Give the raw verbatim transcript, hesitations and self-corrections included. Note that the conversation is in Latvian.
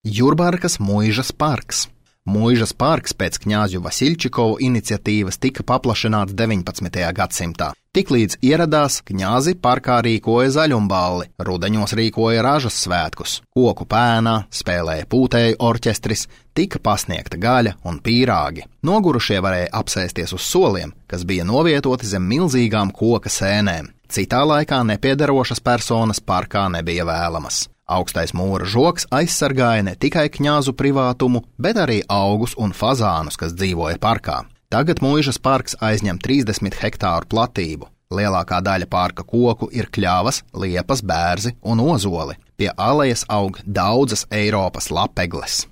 Jurbarkas Muižas parks. Muižas parks pēc Kņāzju Vasilčikovu iniciatīvas tika paplašināts deviņpadsmitajā gadsimtā. Tiklīdz ieradās, kņazi parkā rīkoja zaļumballi, rudeņos rīkoja ražas svētkus, koku pēnā spēlēja pūtēju orķestris, tika pasniegta gaļa un pīrāgi. Nogurušie varēja apsēsties uz soliem, kas bija novietoti zem milzīgām koka sēnēm. Citā laikā nepiederošas personas parkā nebija vēlamas. Augstais mūra žoks aizsargāja ne tikai kņāzu privātumu, bet arī augus un fazānus, kas dzīvoja parkā. Tagad Muižas parks aizņem trīsdesmit hektāru platību. Lielākā daļa parka koku ir kļavas, liepas, bērzi un ozoli. Pie alejas aug daudzas Eiropas lapegles.